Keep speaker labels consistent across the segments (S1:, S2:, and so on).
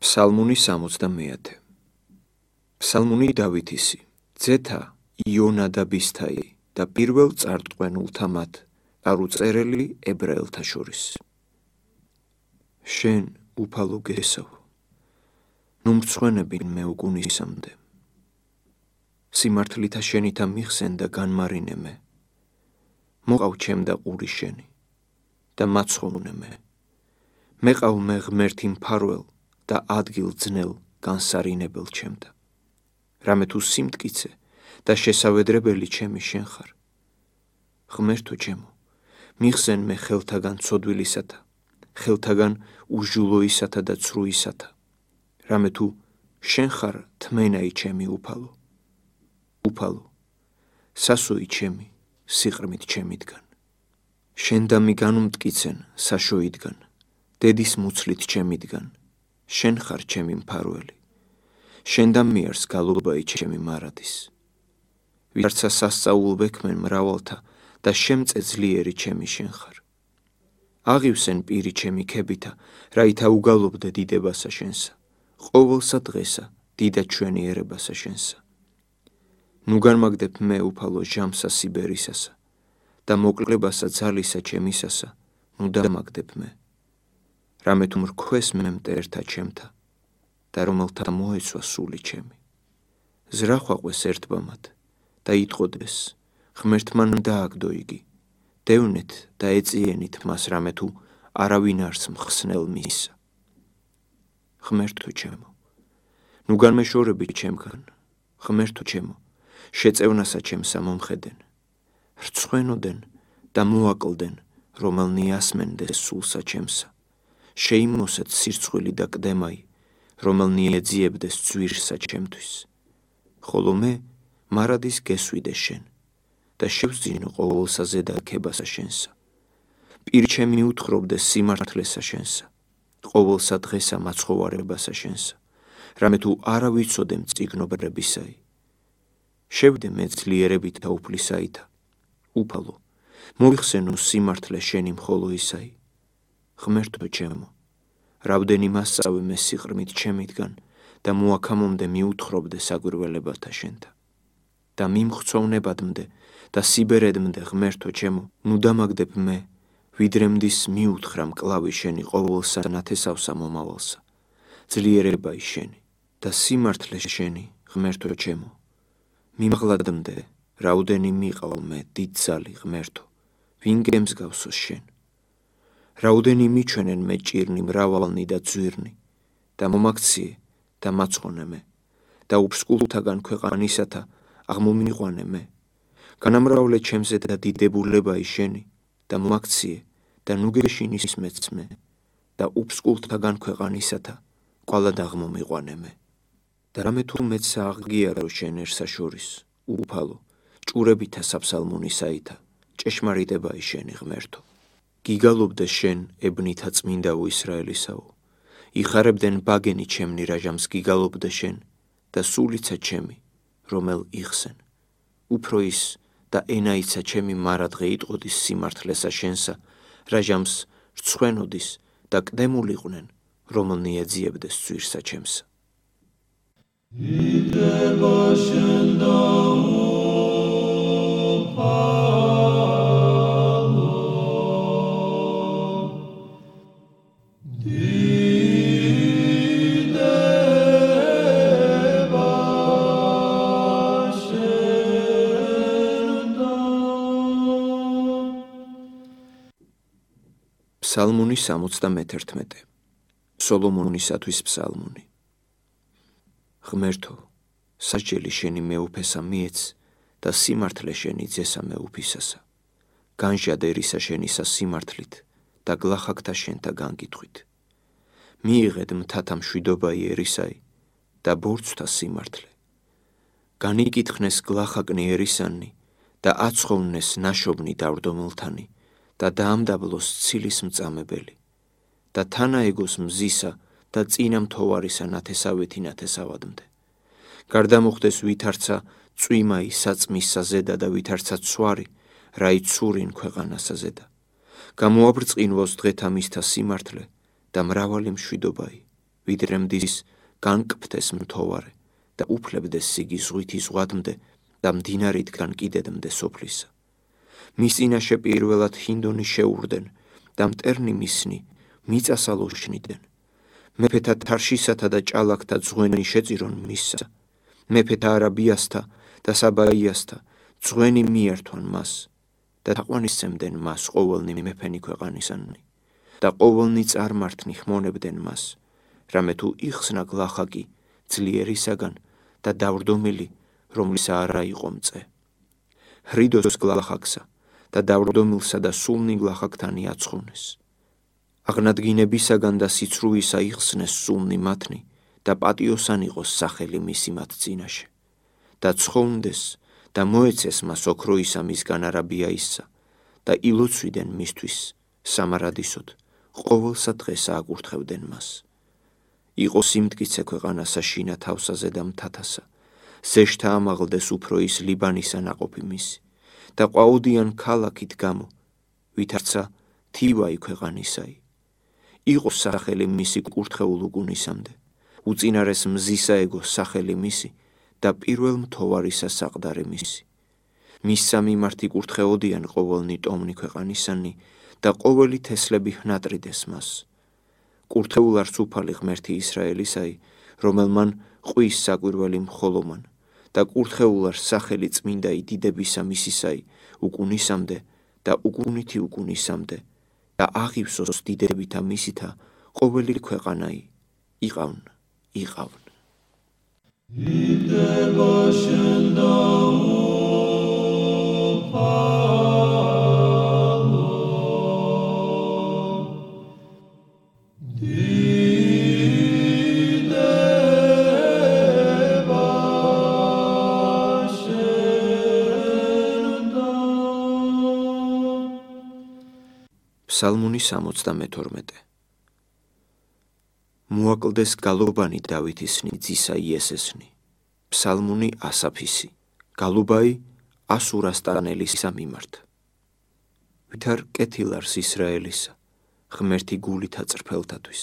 S1: ფსალმუნი 70. ფსალმუნი დავითისი, ძეთა იონადაბისთაი და პირველ წარტყმენულთა მათ, არ უწერელი ებრაელთა შორის. შენ უფალო გესავ, ნუ მრცხვენები მე უკუნისამდე. სიმართლითა შენითა მიხსენ და განმარინე მე. მოყავ ჩემ და ყური შენი და მაცხოვნე მე. მეყავ მე ღმერთი მფარველ და ადგილ ძნელ განსარინებელ ჩემთა. რამე თუ სიმტკიცე და შესავედრებელი ჩემი შენ ხარ. ღმერთო ჩემო, მიხსენ მე ხელთაგან ცოდვილისათა, ხელთაგან უჟულოისათა და ცრუისათა. რამე თუ შენ ხარ თმენაი ჩემი უფალო. უფალო, სასოი ჩემი, სიყრმით ჩემიდგან. შენ და მი განუმტკიცენ საშოიდგან, დედის მუცლით ჩემიდგან. შენ ხარ ჩემი მფარველი. შენ და მიარს გალობაი ჩემი მარადის. ვიარცა სასწაულ ვექმენ მრავალთა და შემწე ძლიერი ჩემი შენ ხარ. აღივსენ პირი ჩემი ქებითა, რაითა უგალობდე დიდებასა შენსა. ყოველსა დღესა დიდად ჩვენიერებასა შენსა. ნუ განმაგდებ მე უფალო ჟამსა სიბერისასა და მოკლებასა ძალისა ჩემისასა, ნუ დამაგდებ მე. რამე თუ მრქვეს მე მტერთა ჩემთა და რომელთა მოეცვა სული ჩემი. ზრახვაყვეს ერთბამად და იტყოდეს, ღმერთმან დააგდო იგი. დევნეთ და ეწიენით მას, რამე თუ არავინ არს მხსნელ მისსა. ღმერთო ჩემო, ნუ განმეშორები ჩემგან. ღმერთო ჩემო, შეწევნასა ჩემსა მომხედენ. რცხვენოდენ და მოაკლდენ, რომელნი ასმენდეს სულსა ჩემსა. შეიმოსეთ სირცხვილი და კდემაი, რომელნი ეძიებდეს ძვირსა ჩემთვის. ხოლო მე მარადის გესვიდე შენ და შევძინო ყოველსა ზედაქებასა შენსა. პირი ჩემი უთხრობდეს სიმართლესა შენსა, ყოველსა დღესა მაცხოვარებასა შენსა, რამე თუ არა ვიცოდე მწიგნობრებისაი. შევდე მე ძლიერებით და უფლისაითა. უფალო, მოიხსენო სიმართლე შენი მხოლო ისაი. ღმერთო ჩემო, რამდენი მასწავე მე სიყრმით ჩემიდგან და მოაქამომდე მიუთხრობდე საგვირველებათა შენთა. და მიმხცოვნებადმდე და სიბერედმდე ღმერთო ჩემო, ნუ დამაგდებ მე, ვიდრე მდის მიუთხრა მკლავი შენი ყოველსა ნათესავსა მომავალსა. ძლიერებაი შენი და სიმართლე შენი, ღმერთო ჩემო. მიმაღლადმდე, რაუდენი მიყავ მე დიდ ძალი ღმერთო, ვინ გემსგავსოს შენ. რაუდენი მიჩვენენ მე ჭირნი მრავალნი და ძვირნი და მომაქციე და მაცხონე მე და უფსკულთაგან ქვეყანისათა აღმომიყვანე მე. განამრავლე ჩემზე და დიდებულებაი შენი და მომაქციე და ნუ გეშინის მეც მე და უფსკულთაგან ქვეყანისათა ყვალად აღმომიყვანე მე. და რამე თუ მეცა აღგიარო შენ ერთსა შორის, უფალო, ჭურებითა საფსალმუნისაითა, ჭეშმარიტებაი შენი ღმერთო. გიგალობდე შენ ებნითა წმინდაო ისრაელისაო. იხარებდენ ბაგენი ჩემნი რაჟამს გიგალობდე შენ და სულიცა ჩემი, რომელ იხსენ. უფრო ის და ენაიცა ჩემი მარადღე იტყოდის სიმართლესა შენსა, რაჟამს რცხვენოდის და კდემულიყვნენ, რომელნი ეძიებდეს ძვირსა ჩემსა. იდრება შენ და ფსალმუნი 71. სოლომონისათვის ფსალმუნი. ღმერთო, სასჯელი შენი მეუფესა მიეც და სიმართლე შენი ძესა მეუფისასა. განჟად ერისა შენისა სიმართლით და გლახაკთა შენთა განგითხვით. მიიღედ მთათა მშვიდობაი ერისაი და ბორცვთა სიმართლე. განიკითხნეს გლახაკნი ერისანი და აცხოვნეს ნაშობნი დავდომილთანი და დაამდაბლოს ცილის მწამებელი და თანაეგოს მზისა და წინა მთოვარისა ნათესავეთი ნათესავადმდე. გარდამოხდეს ვითარცა წვიმაი საწმისა ზედა და ვითარცა ცვარი, რაი ცურინ ქვეყანასა ზედა. გამოაბრწყინვოს დღეთა მისთა სიმართლე და მრავალი მშვიდობაი, ვიდრე მდის განკფთეს მთოვარე და უფლებდეს სიგი ზღვითი ზღვადმდე და მდინარითგან კიდედმდე სოფლისა. მის წინაშე პირველად ჰინდონი შეურდენ და მტერნი მისნი მიწასალოშნიდან. მეფეთა თარშისათა და ჭალაკთა ძღვენი შეწირონ მისსა. მეფეთა არაბიასთა და საბაიასთა ძღვენი მიერთვან მას და თაყვანისცემდნენ მას ყოველნი მეფენი ქვეყანისანი და ყოველნი წარმართნი ხმონებდნენ მას, რამე თუ იხსნა გლახაკი ძლიერისაგან და დავრდომილი, რომლისა არა იყო მწე. ხრიდოს გლახაკსა და დავრდომილსა და სულნი გლახაკთანი აცხოვნეს. აღნადგინებისაგან და სიცრუისა იხსნეს სულნი მათნი და პატიოსან იყოს სახელი მისი მათ წინაშე და ცხოვნდეს და მოეცეს მას ოქროისა მისგან არაბიაისსა და ილოცვიდან მისთვის სამარადისოდ ყოველსა დღეს ააკურთხებდნენ მას. იყო სიმტკიცე ქვეყანასა შინა თავსაზე და მთათასა, ზეშთა ამაღლდეს უფრო ის ლიბანისა ნაყოფი მისი და ყვაოდიან ქალაქით გამო, ვითარცა თივაი ქვეყანისაი. იყო სახელი მისი კურთხეულ უგუნისამდე, უწინარეს მზისაეგო სახელი მისი და პირველ მთოვარისა საყდარი მისი. მისსა მიმართ იკურთხეოდიან ყოველნი ტომნი ქვეყანისანი და ყოველი თესლები ჰნატრიდეს მას. კურთხეულ არც უფალი ღმერთი ისრაელისაი, რომელმან ყვის საკვირველი მხოლომან და კურთხეულ არც სახელი წმინდაი დიდებისა მისისაი უკუნისამდე და უკუნითი უკუნისამდე და აღივსოს დიდებითა მისითა ყოველი ქვეყანაი იყავნ. ფსალმუნი 72. მოაკლდეს გალობანი დავითისნი ძისა იესესნი. ფსალმუნი ასაფისი. გალუბაი ასურასტანელისა მიმართ. ვითარ კეთილარს ისრაელისა, ღმერთი გულითა წრფელთათვის.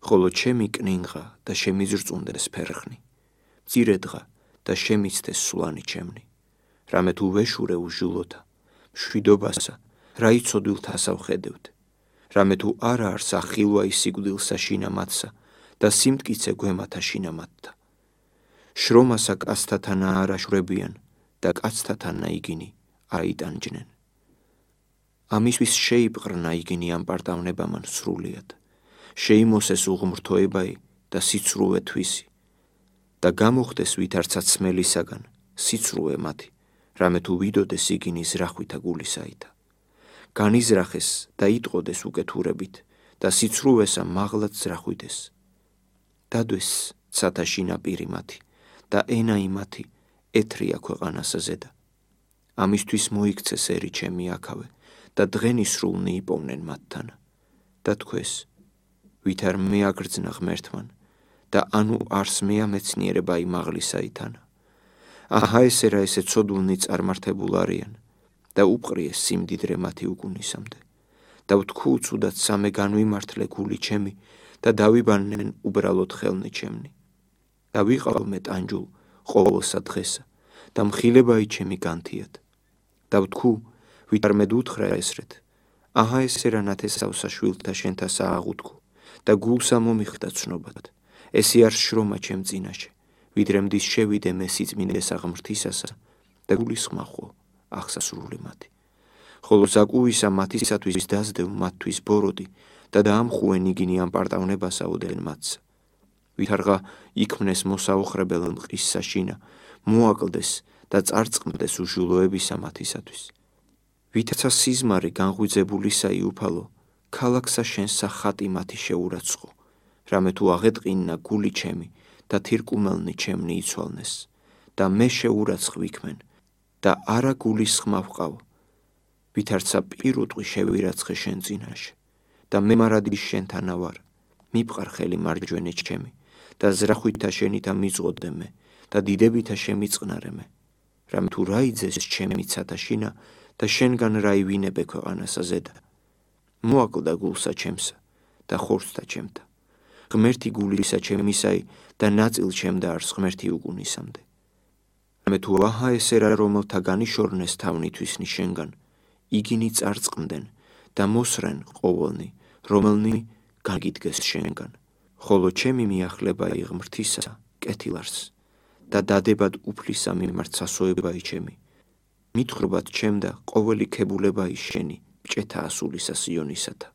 S1: ხოლო ჩემი კნინღა და შემიზრწუნდეს ფერხნი, მწირედღა და შემიცდეს სულანი ჩემნი. რამე თუ ვეშურე უჟულოთა, მშვიდობასა, რა იცოდვილთასა ვხედევთ, რამე თუ არა არსა ხილვა ისიგვდილსა შინამათსა და სიმტკიცე გვემათა შინამათთა. შრომასა კაცთათანა არაშვრებიან და კაცთათანა იგინი აიტანჯნენ. ამისთვის შეიპყრნა იგინი ამ პარტავნებამან სრულიად, შეიმოსეს უღმრთოებაი და სიცრუე თვისი და გამოხდეს ვითარცა ცმელისაგან სიცრუე მათი, რამე თუ ვიდოდეს იგინი ზრახვითა გულისაითა. განიზრახეს და იტყოდეს უკეთურებით და სიცრუესა მაღლად ზრახვიდეს. დადვეს ცათაში ნაპირი მათი და ენაი მათი ეთრია ქვეყანასა ზედა. ამისთვის მოიქცეს ერი ჩემი აქავე და დღენი სრულნი იპოვნენ მათთან და თქვეს, ვითარ მეაგრძნა ღმერთმან და ანუ არს მეამეცნიერება იმაღლისაითანა. აჰა ესერა ესე ცოდულნი წარმართებულ არიან და უპყრიეს სიმდიდრე მათი უკუნისამდე და ვთქუ უცუდად სამე განვიმართლე გული ჩემი და დავიბანენ უბრალოდ ხელნი ჩემნი და ვიყავ ტანჯულ ყოველსა დღესა და მხილებაი ჩემი განთიად და ვთქუ ვითარ მე უთხრა ესრეთ აჰა ესერა ნათესავსა შვილთა შენთა სააღუთქო და გულსა მომიხდა ცნობად ესი არ შრომა ჩემ წინაშე ვიდრე მდის შევიდე მე სიწმინდეს აღმრთისასა და გულის ხმახო აღსასრული მათი. ხოლო ზაკუვისა მათისათვის დასდევ მათთვის ბოროდი და დაამხუენ იგინი ამ პარტავნებასა ოდენ მათსა. ვითარღა იქმნეს მოსაოხრებელ მყის საშინა, მოაკლდეს და წარწყმდეს უჟულოებისა მათისათვის. ვითარცა სიზმარი განღვიძებულისაი უფალო, ქალაქსა შენსა ხატი მათი შეურაცხო, რამე თუ აღეტყინა გული ჩემი და თირკუმელნი ჩემნი იცვალნეს და მე შეურაცხ ვიქმენ და არა გულის ხმა ვყავ, ვითარცა პირუტყვი შევირაცხე შენ წინაშე და მე მარადის შენთანა ვარ, მიფყარ ხელი მარჯვენე ჩემი და ზრახვითა შენითა მიწღოდე მე და დიდებითა შემიწყნარე მე, რამე თუ რა იძეს ჩემი ცათაშინა და შენგან რა ივინებე ქვეყანასა ზედა. მოაკლდა გულსა ჩემსა და ხორცთა ჩემთა, ღმერთი გულისა ჩემისაი და ნაწილ ჩემდა არს ღმერთი უგუნისამდე. მე თუ აჰა ესე რა რომელთა განიშორნეს თავნითვისნი შენგან, იგინი წარწყმდნენ და მოსრენ ყოველნი, რომელნი გაგიდგეს შენგან. ხოლო ჩემი მიახლება ღმრთისა კეთილარს და დადებად უფლისა მიმართ სასოებაი ჩემი. მითხრობად ჩემდა ყოველი ქებულებაი შენი მჭეთა ასულისა სიონისათა.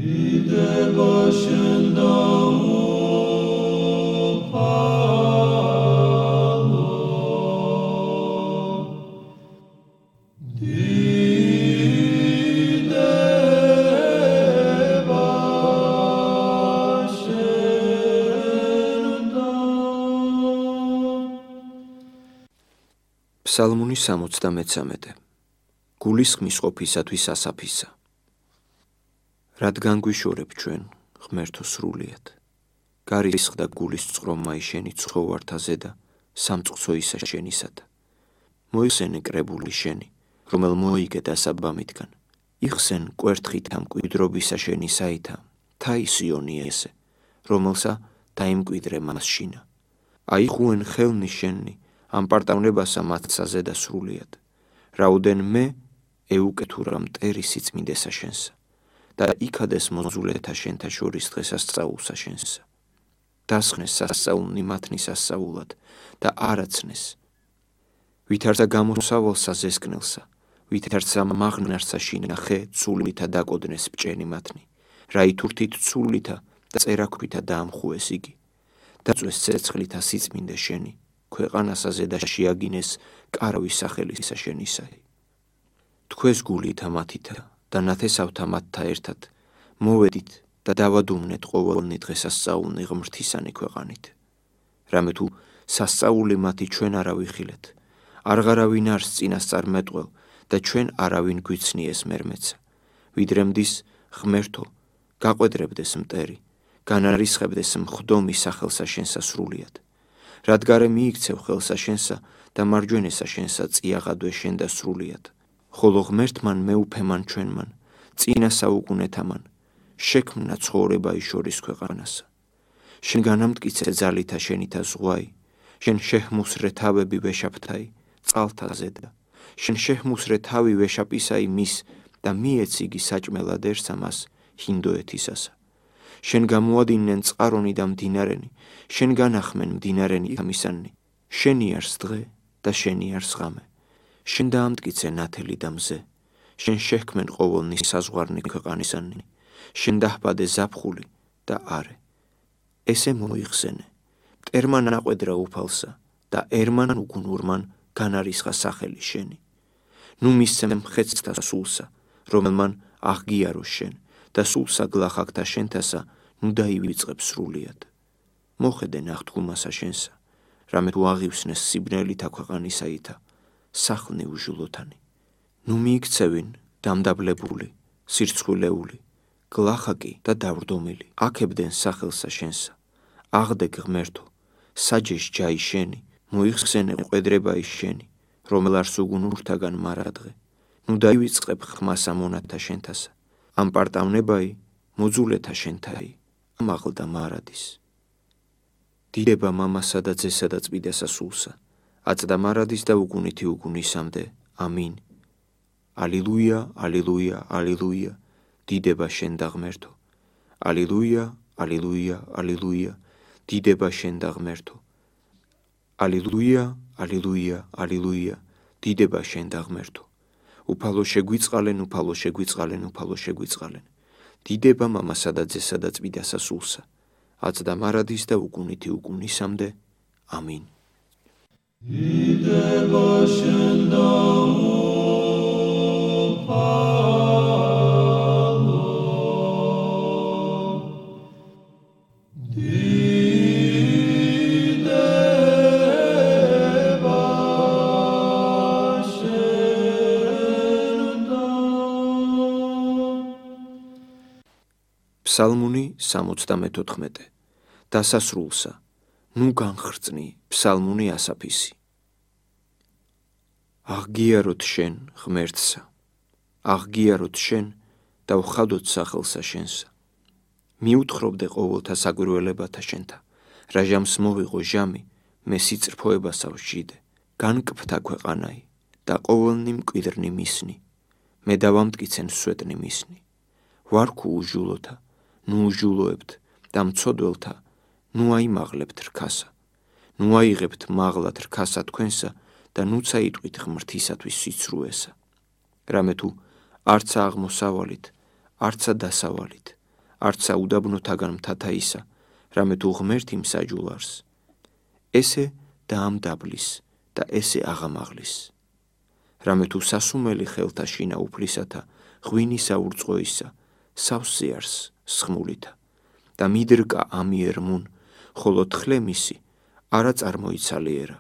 S1: დიდება შენდა ფსალმუნი 73. გულისხმის ყოფისათვის ასაფისა. რადგან გვიშორებ ჩვენ ღმერთო სრულიად, გარისხდა გულის წყრომაი შენი ცხოვართაზე და სამწყსოისა შენისათა. მოიხსენე კრებული შენი, რომელ მოიგე დასაბამითგან, იხსენ კვერთხით ამკვიდრობისა შენი საითა, თაი სიონი ესე, რომელსა დაიმკვიდრე მას შინა. აიხუენ ხელნი შენი, ამპარტავნებასა მათსაზე და სრულიად. რაუდენ მე ეუკეთურა მტერი სიწმინდესა შენსა და იქადეს მოზულეთა შენთა შორის დღესასწაულსა შენსა. დასხნეს სასწაულნი მათნის ასწაულად და არაცნეს. ვითარცა გამოსავალსა ზესკნელსა, ვითარცა მაღნარსა შინახე ცულითა დაკოდნეს ბჭენი მათნი, რა ითურთით ცულითა და წერაქვითა დაამხუეს იგი. დაწვეს ცეცხლითა სიწმინდე შენი, ქვეყანასაზე და შეაგინეს კარვის სახელისა შენისაი. თქვეს გულითა მათითა და ნათესავთა მათთა ერთად, მოვედით და დავადუმნეთ ყოველნი დღესასწაულნი ღმრთისანი ქვეყანით. რამე თუ სასწაული მათი ჩვენ არა ვიხილეთ, არღარავინ არს წინასწარ მეტყველ და ჩვენ არავინ გვიცნიეს მერმეცა. ვიდრე მდის ღმერთო, გაყვედრებდეს მტერი, განარისხებდეს მხდომი სახელსა შენსა სრულიად. რადგარე მიიქცევ ხელსა შენსა და მარჯვენესა შენსა წიაღადვე შენ და სრულიად. ხოლო ღმერთმან მეუფემან ჩვენმან, წინა საუკუნეთამან, შექმნა ცხოვრებაი შორის ქვეყანასა. შენ განამტკიცე ძალითა შენითა ზღვაი, შენ შეჰმუსრე თავები ვეშაპთაი, წყალთა ზედა. შენ შეჰმუსრე თავი ვეშაპისაი მის და მიეციგი საჭმელად ერსა მას ჰინდოეთისასა. შენ გამოადინნენ წყარონი და მდინარენი, შენ განახმენ მდინარენი ამისანი, შენი არს დღე და შენი არს ღამე. შენ დაამტკიცე ნათელი და მზე, შენ შეჰქმენ ყოველნი საზღვარნი ქვეყანისანი, შენ დაჰბადე ზაფხული და არე. ესე მოიხსენე, მტერმან აყვედრა უფალსა და ერმან უგუნურმან განარისხა სახელი შენი. ნუ მისცემ მხეცთა სულსა, რომელმან აღგიარო შენ და სულსა გლახაკთა შენთასა, ნუ დაივიწყებ სრულიად. მოხედე ნახტგუმასა შენსა, რამე თუ აღივსნეს სიბნელითა ქვეყანისაითა, სახლნი უჟულოთანი. ნუ მიიქცევინ დამდაბლებული, სირცხვილეული, გლახაკი და დავრდომილი, აქებდენ სახელსა შენსა. აღდეგ ღმერთო, საჯეშ ჯაი შენი, მოიხსენე ყვედრებაი შენი, რომელ არს უგუნურთაგან მარადღე. ნუ დაივიწყებ ხმასა მონათა შენთასა, ამ პარტავნებაი მოძულეთა შენთაი, ამაღლდა მარადის. დიდება მამასა და ძესა და წმიდასა სულსა, აწდა მარადის და უგუნითი უგუნისამდე. ამინ. ალილუია, ალილუია, ალილუია, დიდება შენ და ღმერთო. ალილუია, ალილუია, ალილუია, დიდება შენ და ღმერთო. ალილუია, ალილუია, ალილუია, დიდება შენ და ღმერთო. უფალო შეგვიწყალენ, უფალო შეგვიწყალენ, უფალო შეგვიწყალენ. დიდება მამასა და ძესა და წმიდასა სულსა, აწდა მარადის და უგუნითი უგუნისამდე. ამინ. დიდება შენ და ფსალმუნი 74. დასასრულსა, ნუ განხრწნი ფსალმუნი ასაფისი. აღგიაროთ შენ ღმერთსა, აღგიაროთ შენ და ვხადოთ სახელსა შენსა. მიუთხრობდე ყოველთა საგვირველებათა შენთა, რა ჟამს მოვიღო ჟამი, მე სიწრფოებასავ ჟიდე, განკფთა ქვეყანაი და ყოველნი მკვიდრნი მისნი, მე დავამტკიცენ სვეტნი მისნი. ვარქუ უჟულოთა, ნუ უჟულოებთ და მცოდველთა, ნუ აიმაღლებთ რქასა, ნუ აიღებთ მაღლად რქასა თქვენსა და ნუ წაიტყვით ღმრთისათვის სიცრუესა. რამე თუ არცა აღმოსავალით, არცა დასავალით, არცა უდაბნოთაგან მთათა ისა, რამე თუ ღმერთი მსაჯულარს, ესე დაამდაბლის და ესე აღამაღლის. რამე თუ სასუმელი ხელთა შინა უფლისათა, ღვინისა ურწყოისა, სავსე არს სხმულითა და მიდრკა ამიერმუნ, ხოლო თხლე მისი არა წარმოიცალიერა.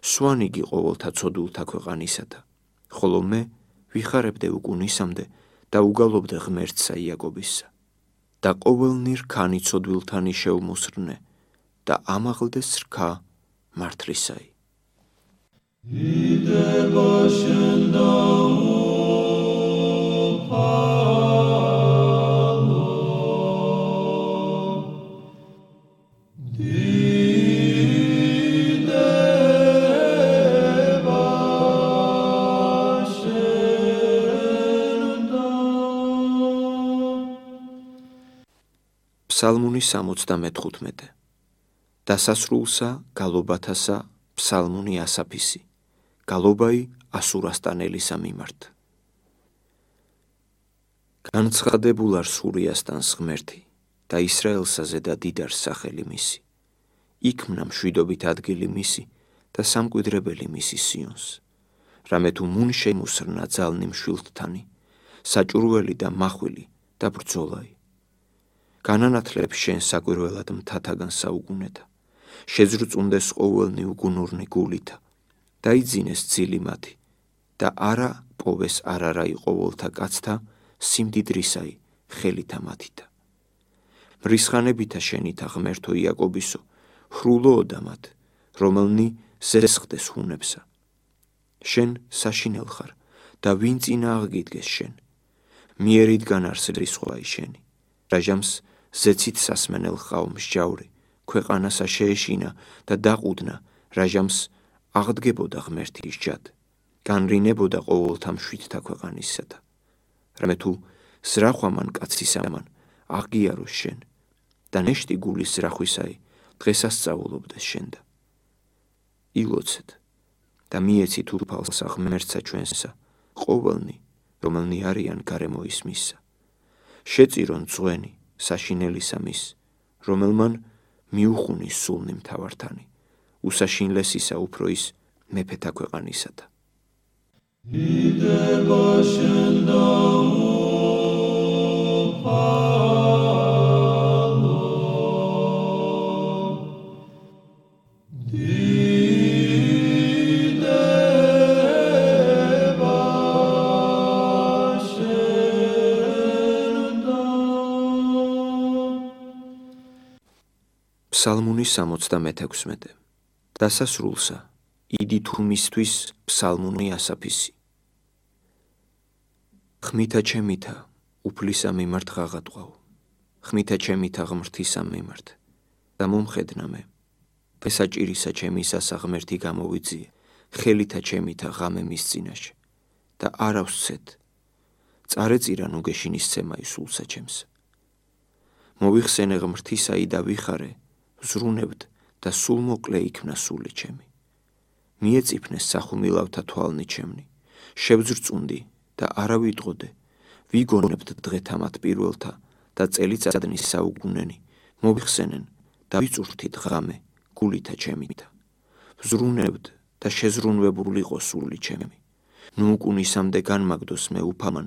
S1: სვანიგი ყოველთა ცოდულთა ქვეყანისათა, ხოლო მე ვიხარებდე უკუნისამდე და უგალობდე ღმერთსა იაკობისა. და ყოველნი რქანი ცოდვილთანი შევმუსრნე და ამაღლდეს რქა მართლისაი. ფსალმუნი 75. დასასრულსა გალობათასა ფსალმუნი ასაფისი, გალობაი ასურასტანელისა მიმართ. განცხადებულ არ სურიასტანს ღმერთი და ისრაელსა ზედა დიდარს სახელი მისი. იქმნა მშვიდობით ადგილი მისი და სამკვიდრებელი მისი სიონს. რამე თუ მუნ შემუსრნა ძალნი მშვილდთანი, საჭურველი და მახვილი და ბრძოლაი. განანათლებს შენ საკვირველად მთათაგან საუგუნეთა, შეძრწუნდეს ყოველნი უგუნურნი გულითა, დაიძინეს ძილი მათი და არა პოვეს არარაი ყოველთა კაცთა სიმდიდრისაი ხელითა მათითა. მრისხანებითა შენითა ღმერთო იაკობისო, ჰრულოოდა მათ, რომელნი ზესხდეს ჰუნებსა. შენ საშინელ ხარ და ვინ წინა აღგიდგეს შენ, მიერიდან არს რისხვაი შენი, რა ჟამს ზეცით სასმენელ ხავ მსჯავრი, ქვეყანასა შეეშინა და დაყუდნა, რა ჟამს აღდგებოდა ღმერთის ჯად, განრინებოდა ყოველთა მშვიდთა ქვეყანისათა. რამე თუ ზრახვამან კაცისამან აღგიაროს შენ და ნეშტი გულის ზრახვისაი დღესასწაულობდეს შენდა. ილოცეთ და მიეცით უფალსა ღმერთსა ჩვენსა, ყოველნი, რომელნი არიან გარემოის მისსა. შეწირონ ძღვენი საშინელისა მის, რომელმან მიუხუნის სულნი მთავართანი, უსაშინლესისა უფრო ის მეფეთა ქვეყანისათა. ფსალმუნი 76. დასასრულსა იდი თუმისთვის ფსალმუნი ასაფისი. ხმითა ჩემითა უფლისა მიმართ ღაღატყავ, ხმითა ჩემითა ღმრთისა მიმართ და მომხედნა მე. ფესაჭირისა ჩემისასა ღმერთი გამოვიძიე, ხელითა ჩემითა ღამე მის წინაშე და არ ავსცეთ. წარეწირა ნუ გეშინისცემაი სულსა ჩემსა. მოვიხსენე ღმრთისაი და ვიხარე, ვზრუნებდ და სულ მოკლე იქნა სული ჩემი. მიეწიფნეს სახუმილავთა თვალნი ჩემნი, შევძრწუნდი და არა ვიტყოდე, ვიგონებდ დღეთა მათ პირველთა და წელიწადნის საუგუნენი, მოვიხსენენ და ვიწურთით ღამე გულითა ჩემითა. ვზრუნებდ და შეზრუნვებულიყო სული ჩემი. ნუ უკუნისამდე განმაგდოს მე უფამან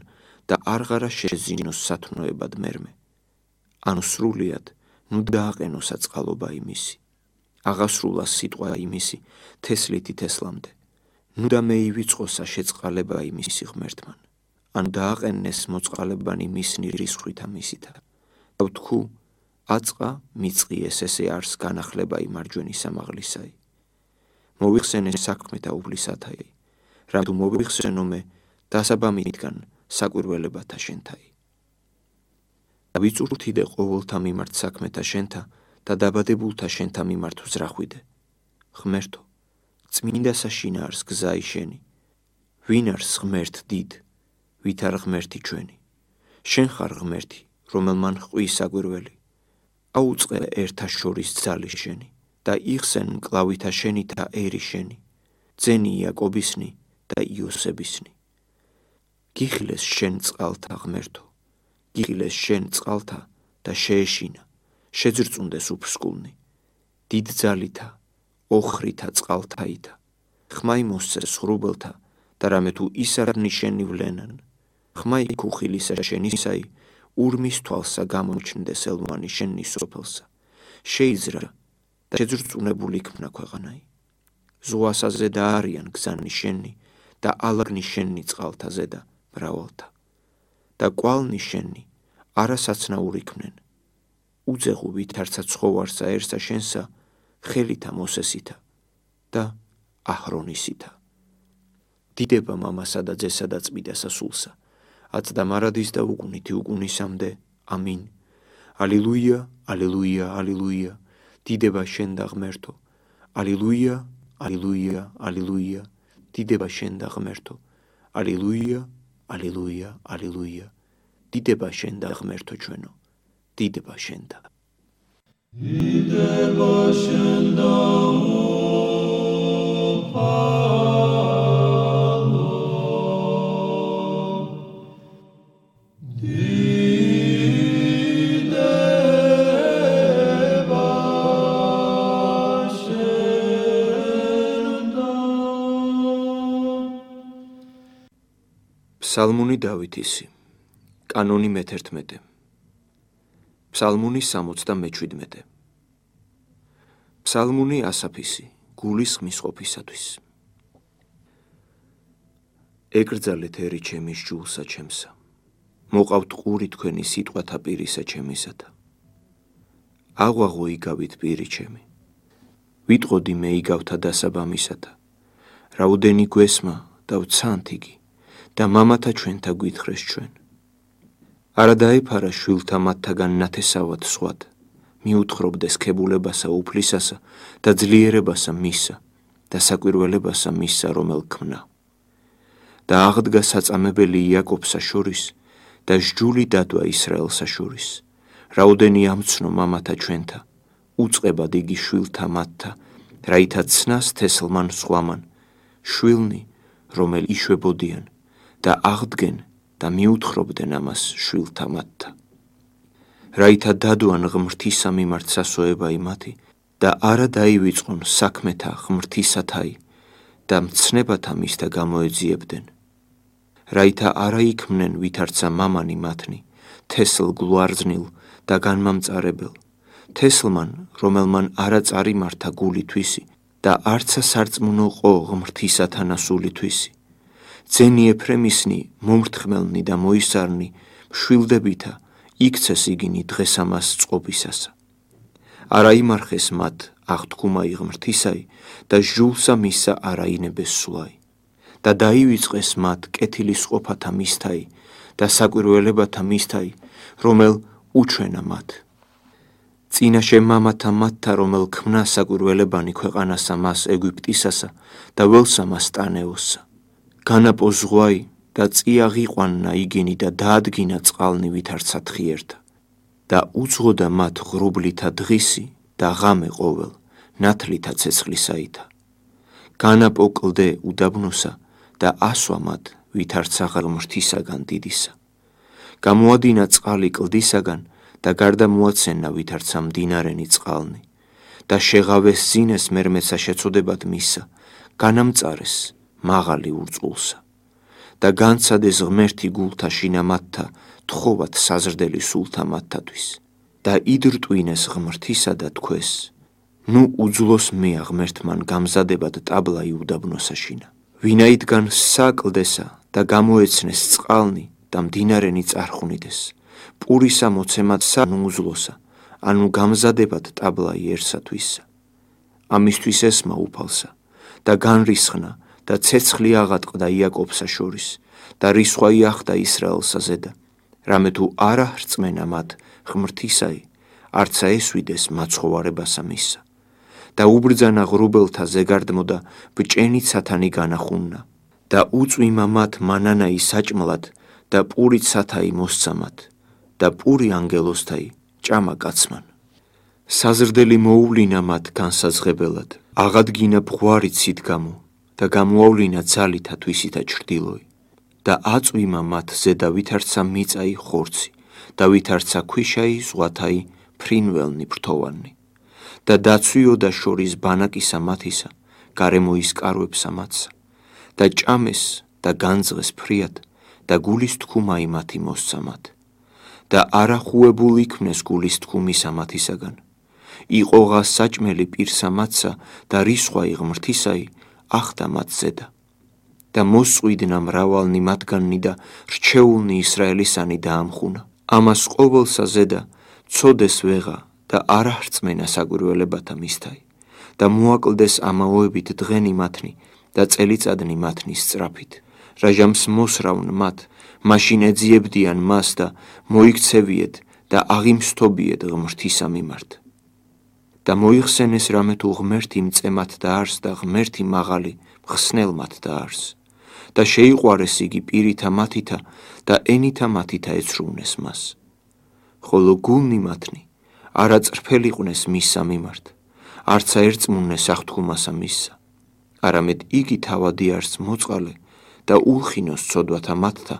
S1: და არღარა შეზინოს სათნოებად მერმე. ანუ სრულიად ნუ დააყენოსა წყალობა იმისი, აღასრულა სიტყვა იმისი თესლითი თესლამდე, ნუ და მე ივიწყოსა შეწყალება იმისი ღმერთმან, ანუ დააყენეს მოწყალებანი მისნი რისხვითა მისითა. და ვთქუ, აწყა მიწყიეს ესე არს განახლება იმარჯვენი სამაღლისაი. მოვიხსენე საქმეთა უფლისათაი, რამ თუ მოვიხსენო მე დასაბამითგან საკვირველებათა შენთაი. და ვიწურთიდე ყოველთა მიმართ საქმეთა შენთა და დაბადებულთა შენთა მიმართ ვზრახვიდე. ღმერთო, წმინდასა შინაარს გზაი შენი. ვინ არის ღმერთ დიდ, ვით არ ღმერთი ჩვენი. შენ ხარ ღმერთი, რომელმან ჰყვის საგვირველი. აუწყე ერთა შორის ძალი შენი და იხსენ მკლავითა შენი და ერი შენი. ძენი იაკობისნი და იოსებისნი. გიხილეს შენ წყალთა ღმერთო, გიხილეს შენ წყალთა და შეეშინა, შეძრწუნდეს უფსკულნი. დიდ ძალითა, ოხრითა წყალთაითა, ხმაი მოსცეს ღრუბელთა და რამე თუ ის არ ნიშენივლენან. ხმაი ქუხილისა შენისაი, ურმის თვალსა გამოჩნდეს ელვანი შენი სოფელსა. შეიზრა და შეძრწუნებული იქნა ქვეყანაი. ზღვასა ზედა არიან გზანი შენი და ალაგნი შენი წყალთა ზედა მრავალთა. და კვალნი შენი არასაცნაური იქნენ. უძეღუ ვითარცა ცხოვარსაერსა შენსა, ხელითა მოსესითა და აჰრონისითა. დიდება მამასა და ძესა და წმიდასა სულსა, აწდა მარადის და უგუნითი უგუნისამდე. ამინ. ალილუია, ალილუია, ალილუია. დიდება შენ და ღმერთო. ალილუია, ალილუია, ალილუია. დიდება შენ და ღმერთო. ალილუია, ალილუია, ალილუია. დიდება შენ და ღმერთო ჩვენო. დიდება შენ და. დიდება შენ და ფსალმუნი დავითისი, კანონი მე-11. ფსალმუნი 77. ფსალმუნი ასაფისი, გულის ხმის ყოფისათვის. ეკრძალეთ ერი ჩემის ჯულსა ჩემსა, მოყავთ ყური თქვენი სიტყვათა პირისა ჩემისათა. აღვაღო იგავით პირი ჩემი, ვიტყოდი მე იგავთა დასაბამისათა. რაუდენი გვესმა და ვცანთ იგი და მამათა ჩვენთა გვითხრეს ჩვენ. არა დაეფარა შვილთა მათთაგან ნათესავად სხვად, მიუთხრობდეს ქებულებასა უფლისასა და ძლიერებასა მისა და საკვირველებასა მისა რომელ ქმნა. და აღდგა საწამებელი იაკობსა შორის და სჯული დადვა ისრაელსა შორის. რაუდენი ამცნო მამათა ჩვენთა, უწყებად იგი შვილთა მათთა, რაითა ცნას თესლმან სხვამან, შვილნი რომელ იშვებოდიან და აღდგენ და მიუთხრობდნენ ამას შვილთა მათთა. რაითა დადვან ღმრთისა მიმართ სასოება იმათი და არა დაივიწყონ საქმეთა ღმრთისათაი და მცნებათა მისთა გამოეძიებდნენ. რაითა არა იქმნენ ვითარცა მამანი მათნი, თესლ გლუარძნილ და განმამწარებელ, თესლმან რომელმან არა წარიმართა გული თვისი და არცა სარწმუნო ყო ღმრთისათა ნასული თვისი. ძენი ეფრემისნი მომრთხმელნი და მოისარნი, მშვილდებითა იქცეს იგინი დღეს ამას წყობისასა. არა იმარხეს მათ აღთქმაი ღმრთისაი და ჟულსა მისა არა ინებეს სულაი. და დაივიწყეს მათ კეთილის ყოფათა მისთაი და საკვირველებათა მისთაი, რომელ უჩვენა მათ. წინაშე მამათა მათთა რომელ ქმნა საკვირველებანი ქვეყანასა მას ეგვიპტისასა და ველსა მას ტანეოსსა. განაპო ზღვაი და წიაღიყვანნა იგინი და დაადგინა წყალნი ვითარცა თხიერთა. და უძღოდა მათ ღრუბლითა დღისი და ღამე ყოველ, ნათლითა ცეცხლისაითა. განაპო კლდე უდაბნოსა და ასვა მათ ვითარცა ღმრთისაგან დიდისა. გამოადინა წყალი კლდისაგან და გარდა მოაცენა ვითარცა მდინარენი წყალნი. და შეღავეს ზინეს მერმეცა შეწოდებად მისა, განამწარეს მაღალი ურწყულსა. და განცადეს ღმერთი გულთა შინამათთა, თხოვათ საზრდელი სულთა მათთათვის. და იდრტვინეს ღმრთისა და თქვეს, ნუ უძლოს მეა ღმერთმან გამზადებად ტაბლაი უდაბნოსაშინა. ვინაიდან საკლდესა და გამოეცნეს წყალნი და მდინარენი წარხვნიდეს, პურისა მოცემად სანუუძლოსა, ანუ გამზადებად ტაბლაიერსათვისა. ამისთვის ესმა უფალსა და განრისხნა და ცეცხლი აღატყდა იაკობსა შორის და რისხვა იახდა ისრაელსა ზედა, რამე თუ არა ხრწმენა მათ ღმრთისაი, არცა ესვიდეს მაცხოვარებასა მისსა. და უბრძანა ღრუბელთა ზეგარდმოდა ბჭენით სათანი განახუნნა და უწვიმა მათ მანანაი საჭმლად და პურით სათაი მოსცამათ და პური ანგელოსთაი ჭამა კაცმან. საზრდელი მოუვლინა მათ განსაზღებელად, აღადგინა ბღვარი ცით-გამო და გამოავლინა ძალითა თვისითა ჩრდილოი და აწვიმა მათ ზედა ვითარცა მიწაი ხორცი და ვითარცა ქვიშაი ზღვათაი ფრინველნი ფრთოვანი და დაცვიოდა შორის ბანაკისა მათისა, გარემოის კარვებსა მათსა და ჭამეს და განძღეს ფრიად და გულის თქუმაი მათი მოსცამათ და არახუებულ იქმნეს გულის თქუმისა მათისაგან. იყოღა საჭმელი პირსა მათსა და რისხვაი ღმრთისაი ახდა მათ ზედა და მოსწვიდნა მრავალნი მათგანი და რჩეულნი ისრაელისანი დაამხუნა. ამას ყოველსა ზედა ცოდეს ვეღა და არაჰრწმენა საგვირველებათა მისთაი და მოაკლდეს ამაოებით დღენი მათნი და წელიწადნი მათნი სწრაფით. რაჟამს მოსრავნ მათ, მაშინ ეძიებდიან მას და მოიქცევიეთ და აღიმსთობიეთ ღმრთისა მიმართ. და მოიხსენეს რამე თუ ღმერთი მწემათ დაარს და ღმერთი მაღალი მხსნელმათ დაარს და შეიყვარეს იგი პირითა მათითა და ენითა მათითა ეცრუნეს მას. ხოლო გულნი მათნი არაწრფელიყვნეს მისსა მიმართ, არცა ერწმუნეს აღთქმასა მისსა, არამედ იგი თავადი არს მოწყალე და ულხინოს ცოდვათა მათთა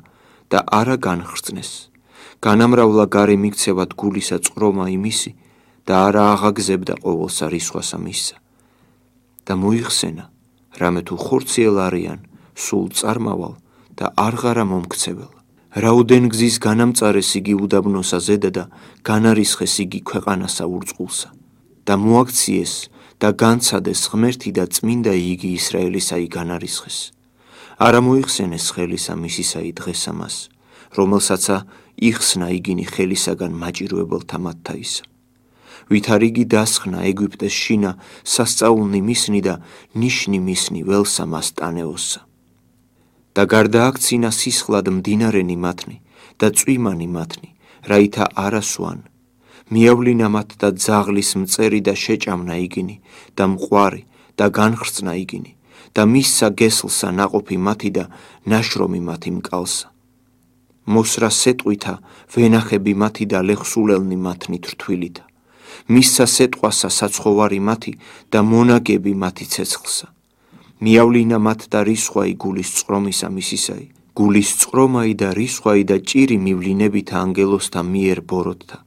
S1: და არა განხრწნეს, განამრავლა გარე მიქცევად გულისა წყრომა იმისი და არა აღაგზებდა ყოველსა რისხვასა მისსა. და მოიხსენა, რამე თუ ხორციელ არიან, სულ წარმავალ და არღარა მომქცეველა. რაუდენ გზის განამწარეს იგი უდაბნოსა ზედა და განარისხეს იგი ქვეყანასა ურწყულსა და მოაქციეს და განცადეს ღმერთი და წმინდა იგი ისრაელისაი განარისხეს. არა მოიხსენეს ხელისა მისისაი დღესა მას, რომელსაცა იხსნა იგინი ხელისაგან მაჭირვებელთა მათთაისა. ვით არ იგი დასხნა ეგვიპტეს შინა სასწაულნი მისნი და ნიშნი მისნი ველსა მას ტანეოსსა. და გარდააქცინა სისხლად მდინარენი მათნი და წვიმანი მათნი, რაითა არასვან. მიავლინა მათ და ძაღლის მწერი და შეჭამნა იგინი და მყვარი და განხრწნა იგინი და მისსა გესლსა ნაყოფი მათი და ნაშრომი მათი მკალსა. მოსრა სეტყვითა ვენახები მათი და ლეხსულელნი მათნი თრთვილითა. მისსა სეტყვასა საცხოვარი მათი და მონაგები მათი ცეცხლსა. მიავლინა მათ და რისხვაი გულის წყრომისა მისისაი, გულის წყრომაი და რისხვაი და ჭირი მივლინებითა ანგელოსთა მიერ ბოროტთა.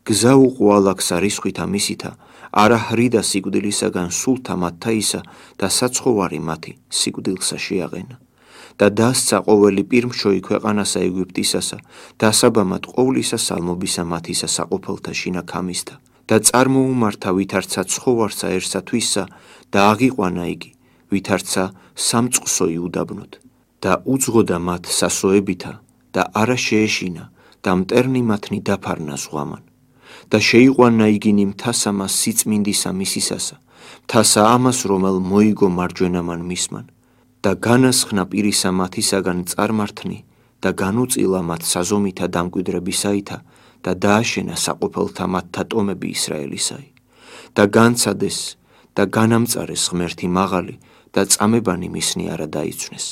S1: გზა უყვალაქსა რისხვითა მისითა, არა ხრიდა სიკვდილისაგან სულთა მათთაისა და საცხოვარი მათი სიკვდილსა შეაყენა. და დასცა ყოველი პირმშოი ქვეყანასა ეგვიპტისასა, დასაბამად ყოვლისა სალმობისა მათისა საყოფელთა შინა ქამისთა. და წარმოუმართა ვითარცა ცხოვარსაერსა თვისსა და აღიყვანა იგი, ვითარცა სამწყსოი უდაბნოთ და უძღოდა მათ სასოებითა და არა შეეშინა და მტერნი მათნი დაფარნა ზღვამან და შეიყვანა იგინი მთასა მას სიწმინდისა მისისასა, მთასა ამას რომელ მოიგო მარჯვენამან მისმან და განასხნა პირისა მათისაგან წარმართნი და განუწილა მათ საზომითა დამკვიდრებისაითა და დააშენა საყოფელთა მათთა ტომები ისრაელისაი და განცადეს და განამწარეს ღმერთი მაღალი და წამებანი მისნი არა დაიცვნეს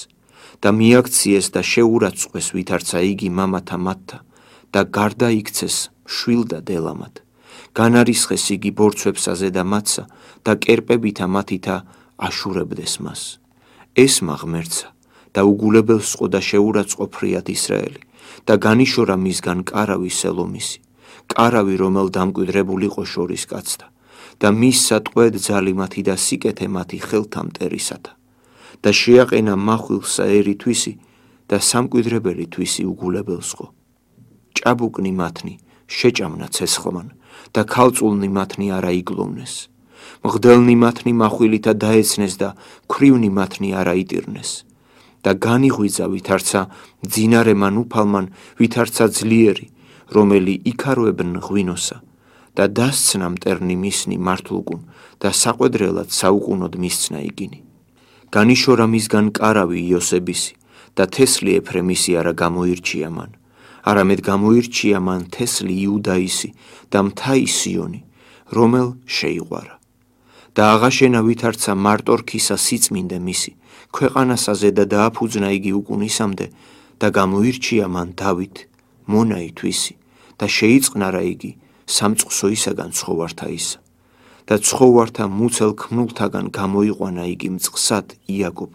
S1: და მიაქციეს და შეურაცხყვეს ვითარცა იგი მამათა მათთა და გარდა იქცეს შვილ და დელამად. განარისხეს იგი ბორცვებსა ზედა მათსა და კერპებითა მათითა აშურებდეს მას. ესმა ღმერთსა და უგულებელს ყო და შეურაცხყო ფრიად ისრაელი და განიშორა მისგან კარავი სელომისი, კარავი რომელ დამკვიდრებულიყო შორის კაცთა და მისსა ტყვედ ძალი მათი და სიკეთე მათი ხელთა მტერისათა და შეაყენა მახვილსა ერი თვისი და სამკვიდრებელი თვისი უგულებელს ყო. ჭაბუკნი მათნი შეჭამნა ცეცხლმან და ქალწულნი მათნი არა იგლოვნეს. მღდელნი მათნი მახვილითა დაეცნეს და ქვრივნი მათნი არა იტირნეს. და განიღვიძა ვითარცა ძინარემან უფალმან ვითარცა ძლიერი, რომელი იქარვებნ ღვინოსა და დასცნა მტერნი მისნი მართლუკუნ და საყვედრელად საუკუნოდ მისცნა იგინი. განიშორა მისგან კარავი იოსებისი და თესლი ეფრემისი არა გამოირჩია მან, არამედ გამოირჩია მან თესლი იუდაისი და მთა სიონი, რომელ შეიყვარა. და აღაშენა ვითარცა მარტორქისა სიწმინდე მისი, ქვეყანასაზე და დააფუძნა იგი უკუნისამდე და გამოირჩია მან დავით, მონაი თვისი და შეიწყნარა იგი სამწყსოისაგან ცხოვართა ისა. და ცხოვართა მუცელ ქმნულთაგან გამოიყვანა იგი მწყსად იაკობ,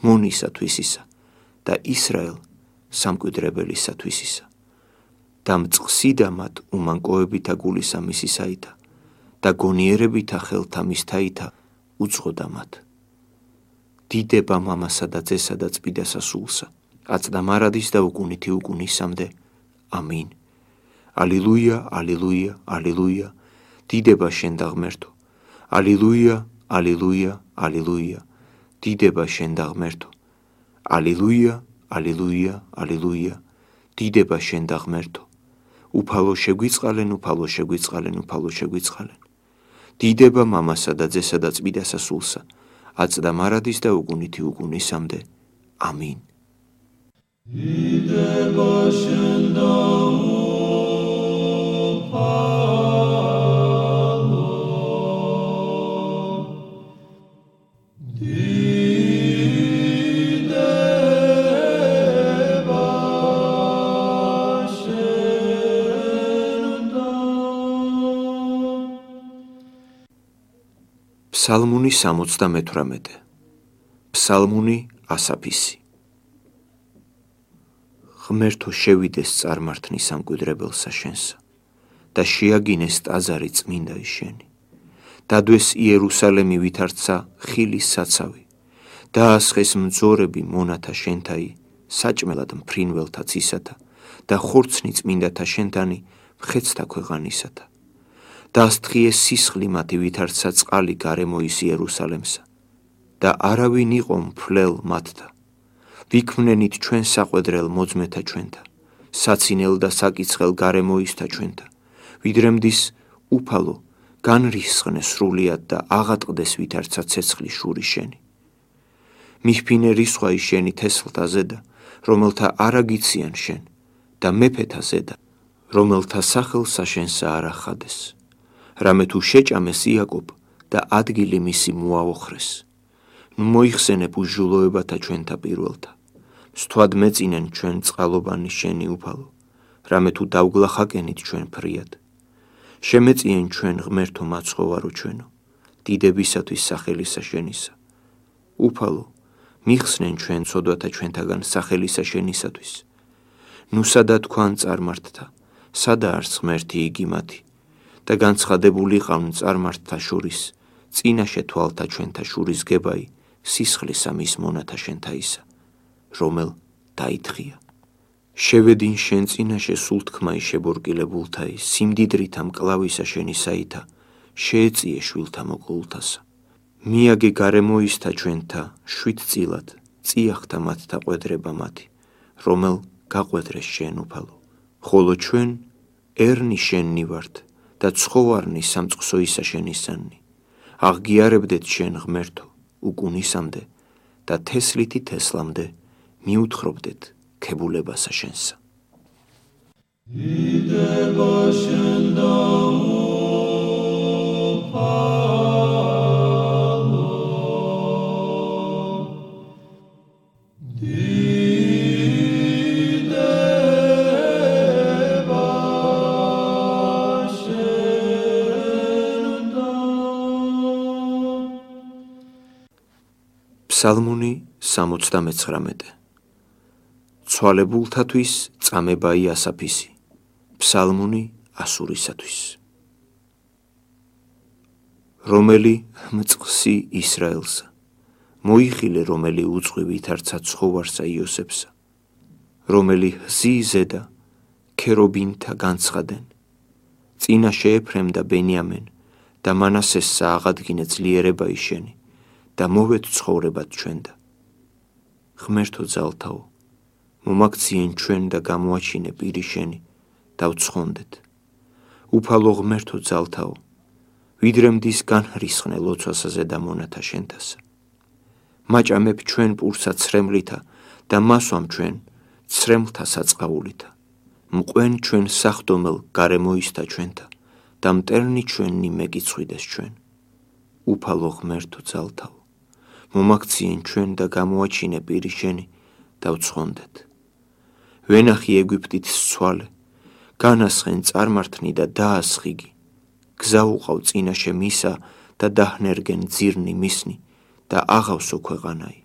S1: მონისათვისისა და ისრაელ სამკვიდრებელისათვისისა. და მწყსიდა მათ უმანკოებითა გულისა მისისაითა და გონიერებითა ხელთა მისთაითა უძღოდა მათ. დიდება მამასა და ძესა და წმიდასა სულსა, აწდა მარადის და უკუნითი უკუნისამდე. ამინ. ალილუია, ალილუია, ალილუია, დიდება შენ და ღმერთო. ალილუია, ალილუია, ალილუია, დიდება შენ და ღმერთო. ალილუია, ალილუია, ალილუია, დიდება შენ და ღმერთო. უფალო შეგვიწყალენ, უფალო შეგვიწყალენ, უფალო შეგვიწყალენ. დიდება მამასა და ძესა და წმიდასა სულსა, აწდა მარადის და უკუნითი უკუნისამდე. ამინ. დიდება შენ და ფსალმუნი 78. ფსალმუნი ასაფისი. ღმერთო შევიდეს წარმართნის სამკვიდრებელსა შენსა და შეაგინეს ტაძარი წმინდა შენი. დადვეს იერუსალემი ვითარცა ხილის საცავი, დაასხეს მძორები მონათა შენთაი, საჭმელად მფრინველთა ცისათა და ხორცნი წმინდათა შენთანი მხეცთა ქვეყანისათა. დასთხიეს სისხლი მათი ვითარცა წყალი გარემოის იერუსალემსა და არავინ იყო მფლელ მათთა. ვიქმნენით ჩვენ საყვედრელ მოძმეთა ჩვენთა, საცინელ და საკიცხელ გარემოისთა ჩვენთა, ვიდრემდის უფალო განრისხნე სრულიად და აღატყდეს ვითარცა ცეცხლის შური შენი. მიფფინე რისხვაი შენი თესლთა ზედა, რომელთა არაგიციან შენ და მეფეთა ზედა, რომელთა სახელსა შენსა არ ახადეს. რამე თუ შეჭამეს იაკობ და ადგილი მისი მოაოხრეს. ნუ მოიხსენებ უსჯულოებათა ჩვენთა პირველთა. სთვად მეწინენ ჩვენ წყალობანი შენი უფალო, რამე თუ დავგლახაკენით ჩვენ ფრიად. შემეწიენ ჩვენ ღმერთო მაცხოვარო ჩვენო, დიდებისათვის სახელისა შენისა. უფალო, მიხსნენ ჩვენ ცოდვათა ჩვენთაგან სახელისა შენისათვის. ნუ სადა თქვან წარმართთა, სადა არც ღმერთი იგი მათი. და განცხადებული ყავთ წარმართთა შორის, წინაშე თვალთა ჩვენთა შურის გებაი, სისხლისა მის მონათა შენთაისა, რომელ დაითხია. შევედინ შენ წინაშე სულთქმაი შებორკილებულთაი, სიმდიდრითა მკლავისა შენისაითა, შეეწიე შვილთა მოკლულთასა. მიაგე გარემოისთა ჩვენთა, შვიდწილად, წიახთა მათთა ყვედრება მათი, რომელ გაყვედრეს შენ უფალო. ხოლო ჩვენ ერნი შენნი ვართ და ცხოვარნი სამწყსოისა შენისანი. აღგიარებდეთ შენ ღმერთო უკუნისამდე და თესლითი თესლამდე მიუთხრობდეთ ქებულებასა შენსა. დიდება შენ და ფსალმუნი 79. ცვალებულთათვის წამებაი ასაფისი. ფსალმუნი ასურისათვის. რომელი მწყსი ისრაელსა, მოიხილე რომელი უწყი ვითარცა ცხოვარსა იოსებსა, რომელი ჰზი ზედა ქერობინთა განცხადენ, წინაშე ეფრემ და ბენიამენ და მანასესსა აღადგინე ძლიერება შენი და მოვეთ ცხოვრებად ჩვენდა. ღმერთო ძალთაო, მომაქციენ ჩვენ და გამოაჩინე პირი შენი და ვცხონდეთ. უფალო ღმერთო ძალთაო, ვიდრემდის განრისხნე ლოცვასაზე და მონათა შენთასა. მაჭამებ ჩვენ პურსა ცრემლითა და მასვამ ჩვენ ცრემლთა საწყაულითა. მყვენ ჩვენ სახვდომელ გარემოისთა ჩვენთა და მტერნი ჩვენი მეკიცხვიდეს ჩვენ. უფალო ღმერთო ძალთავ, მომაქციენ ჩვენ და გამოაჩინე პირი შენი და ვცხონდეთ. ვენახი ეგვიპტის ცვალე, განასხენ წარმართნი და დაასხიგი. გზა უყავ წინაშე მისა და დაჰნერგენ ძირნი მისნი და აღავსო ქვეყანაი.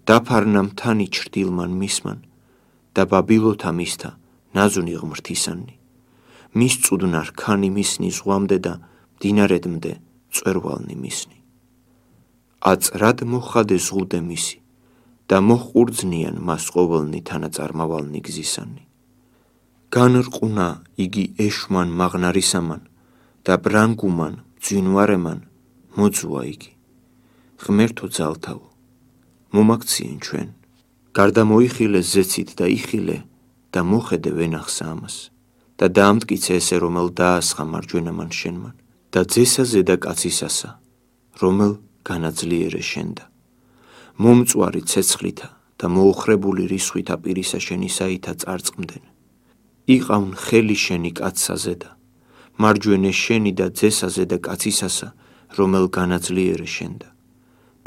S1: დაფარნა მთანი ჩრდილმან მისმან და ბაბილოთა მისთა ნაზუნი ღმრთისანი. მის წუდნა რქანი მისნი ზღვამდე და მდინარედმდე წვერვალნი მისნი. აწრად მოხადე ზღუდე მისი და მოჰყურძნიან მას ყოველნი თანაწარმავალნი გზისანი. განრყუნა იგი ეშვმან მაღნარისამან და ბრანგუმან ძვინვარემან მოძუა იგი. ღმერთო ძალთავ, მომაქციენ ჩვენ. გარდა მოიხილე ზეცით და იხილე და მოხედე ვენახსა ამას და დაამტკიცე ესე რომელ დაასხა მარჯვენამან შენმან და ძესაზე და კაცისასა რომელ განაძლიერე შენდა. მომწვარი ცეცხლითა და მოოხრებული რისხვითა პირისა შენისაითა წარწყმდნენ. იყავნ ხელი შენი კაცსაზე და მარჯვენე შენი და ძესაზე და კაცისასა რომელ განაძლიერე შენდა.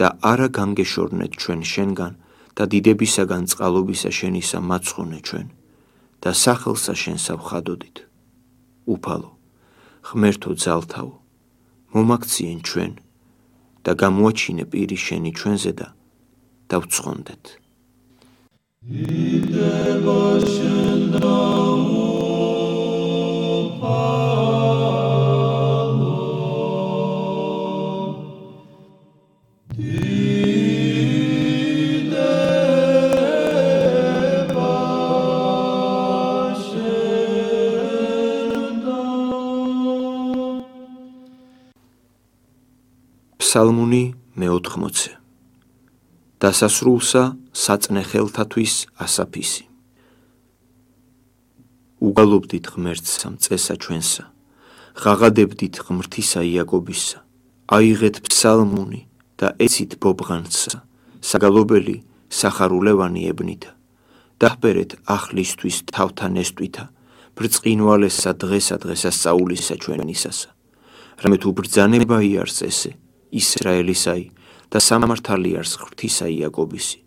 S1: და არა განგეშორნეთ ჩვენ შენგან და დიდებისაგან წყალობისა შენისა მაცხონე ჩვენ და სახელსა შენსა ვხადოდით. უფალო, ღმერთო ძალთავ, მომაქციენ ჩვენ და გამოაჩინე პირი შენი ჩვენზე და დავცხონდეთ. ფსალმუნი მე-80. დასასრულსა საწნე ხელთათვის ასაფისი. უგალობდით ღმერთსა მწესა ჩვენსა, ღაღადებდით ღმრთისა იაკობისა, აიღეთ ფსალმუნი და ეცით ბობღანსა, საგალობელი სახარულევანი ებნითა, დაჰბერეთ აღლისთვის თავთა ნესტვითა, ბრწყინვალესა დღესა დღესასწაულისა ჩვენისასა. რამე თუ ბრძანება იარს ესე, ისრაელისაი და სამართალი არს ღვთისა იაკობისი.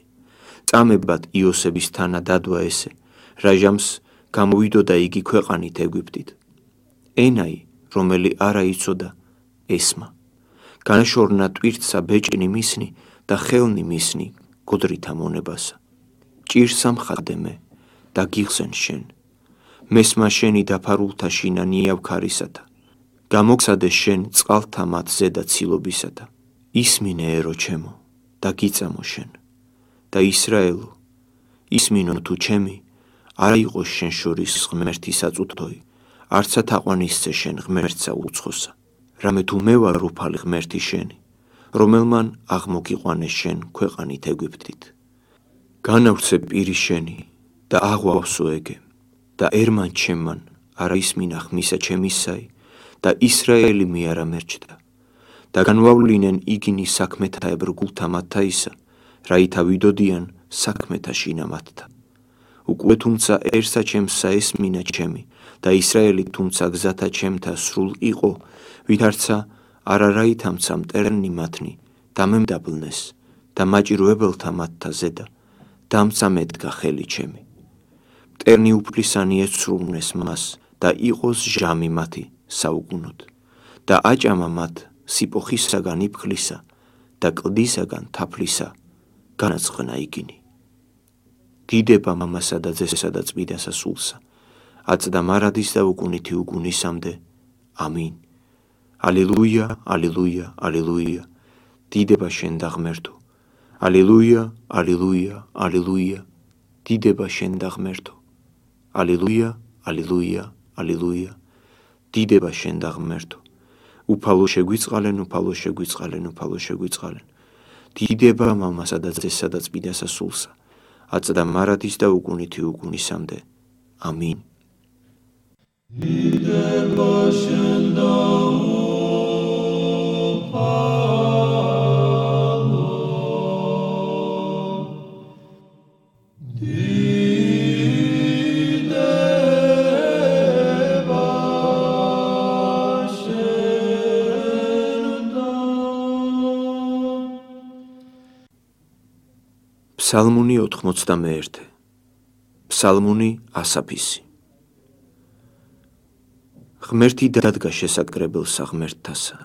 S1: წამებად იოსების თანა დადვა ესე, რაჟამს გამოვიდოდა იგი ქვეყანით ეგვიპტით. ენაი, რომელი არა იცოდა ესმა. განაშორნა ტვირთსა ბეჭნი მისნი და ხელნი მისნი გოდრითა მონებასა. ჭირსა მხადე მე და გიხსენ შენ. მესმა შენი დაფარულთა შინა ნიავქარისათა. გამოგცადე შენ წყალთა მათ ზედა ცილობისათა. ისმინე ერო ჩემო და გიწამო შენ და ისრაელო, ისმინო თუ ჩემი არა იყოს შენ შორის ღმერთი საწუთოი, არცა თაყვანისცე შენ ღმერთსა უცხოსა. რამე თუ მე ვარ უფალი ღმერთი შენი, რომელმან აღმოგიყვანე შენ ქვეყანით ეგვიპტით. განავრცე პირი შენი და აღვავსო ეგე და ერმან ჩემმან არა ისმინა ხმისა ჩემისაი და ისრაელი მე არა მერჩდა. და განვავლინენ იგინი საქმეთა ებრგულთა მათთაისა, რაითა ვიდოდიან საქმეთა შინა მათთა. უკვე თუმცა ერსა ჩემსა ესმინა ჩემი და ისრაელი თუმცა გზათა ჩემთა სრულ იყო, ვითარცა არა რაითამცა მტერნი მათნი დამემდაბლნეს და მაჭირვებელთა მათთა ზედა დამწამედგა ხელი ჩემი. მტერნი უფლისანი ეცრუნეს მას და იყოს ჟამი მათი საუკუნოდ და აჭამა მათ სიპოხისაგან იფხლისა და კლდისაგან თაფლისა განაწყნა იგინი. დიდება მამასა და ძესსა და წმიდასა სულსა, აწდა მარადის და უკუნითი უგუნისამდე. ამინ. ალილუია, ალილუია, ალილუია. დიდება შენ და ღმერთო. ალილუია, ალილუია, ალილუია. დიდება შენ და ღმერთო. ალილუია, ალილუია, ალილუია. დიდება შენ და ღმერთო. უფალო შეგვიწყალენ, უფალო შეგვიწყალენ, უფალო შეგვიწყალენ. დიდება მამასა და ძესსა და წმიდასა სულსა, აწდა მარადის და უკუნითი უგუნისამდე. ამინ. დიდება შენ და უფალო. ფსალმუნი 91. ფსალმუნი ასაფისი. ღმერთი დადგა შესაკრებელსა ღმერთთასა,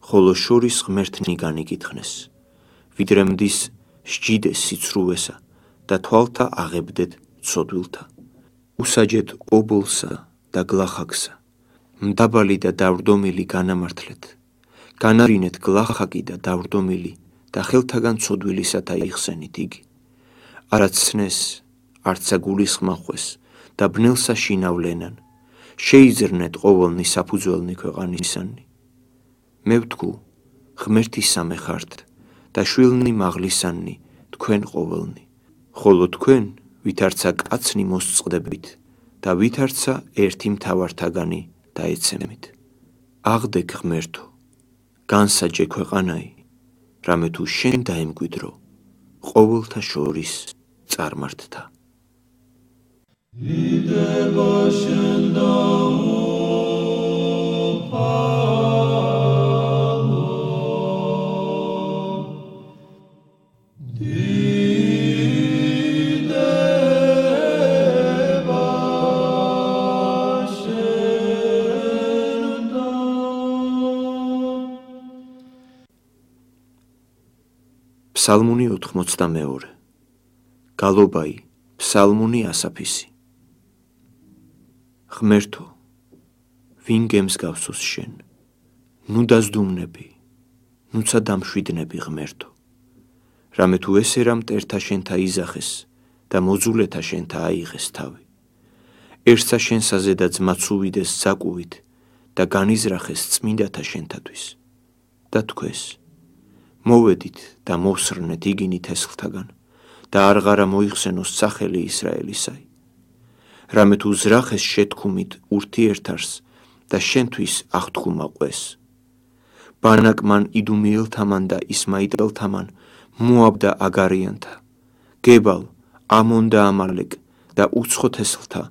S1: ხოლო შორის ღმერთნი განიკითხნეს, ვიდრე მდის სჯიდეს სიცრუვესა და თვალთა აღებდეთ ცოდვილთა. უსაჯეთ ობოლსა და გლახაკსა, მდაბალი და დავრდომილი განამართლეთ, განარინეთ გლახაკი და დავრდომილი და ხელთაგან ცოდვილისათა იხსენით იგი. არაც ცნეს, არცა გულისხმახვეს და ბნელსა შინავლენან, შეიძრნეთ ყოველნი საფუძველნი ქვეყანისანი. მე ვთქუ, ღმერთი სამე ხართ და შვილნი მაღლისანი თქვენ ყოველნი, ხოლო თქვენ ვითარცა კაცნი მოსწყდებით და ვითარცა ერთი მთავართაგანი დაეცემით. აღდეკ ღმერთო, განსაჯე ქვეყანაი, რამე თუ შენ დაემკვიდრო ყოველთა შორის წარმართთა. ფსალმუნი 92. გალობაი, ფსალმუნი ასაფისი. ღმერთო, ვინ გემსგავსოს შენ, ნუ დაზდუმნები, ნუცა დამშვიდნები ღმერთო, რამე თუ ესე რა მტერთა შენთა იზახეს და მოძულეთა შენთა აიღეს თავი. ერთსა შენსაზე და ძმაც უვიდეს საკუვით და განიზრახეს წმინდათა შენთათვის და თქვეს, მოვედით და მოვსრნეთ იგინი თესლთაგან და არღარა მოიხსენოს სახელი ისრაელისაი. რამე თუ ზრახეს შეთქუმით ურთიერთარს და შენთვის აღთქუმა ყვეს. ბანაკმან იდუმიელთამან და ისმაიტელთამან მოაბ და აგარიანთა, გებალ, ამონ და ამალეკ და უცხო თესლთა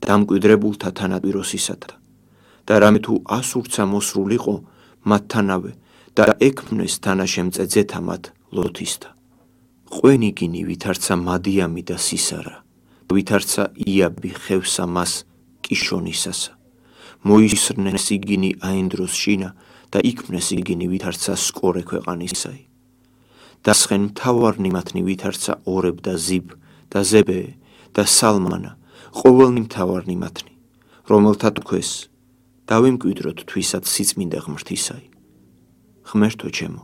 S1: დამკვიდრებულთა თანატვიროსისათა და რამე თუ ასურცა მოსრულიყო მათთანავე და ექმნეს თანაშემწე ძეთა მათ ლოთისთა. ყვენი გინი ვითარცა მადიამი და სისარა, ვითარცა იაბი ხევსა მას კიშონისასა. მოისრნეს იგინი აენდროს შინა და იქმნეს იგინი ვითარცა სკორე ქვეყანისაი. დასხენ მთავარნი მათნი ვითარცა ორებ და ზიბ და ზებე და სალმანა, ყოველნი მთავარნი მათნი, რომელთა თქვეს, დავემკვიდროთ თვისად სიწმინდა ღმრთისაი. ღმერთო ჩემო,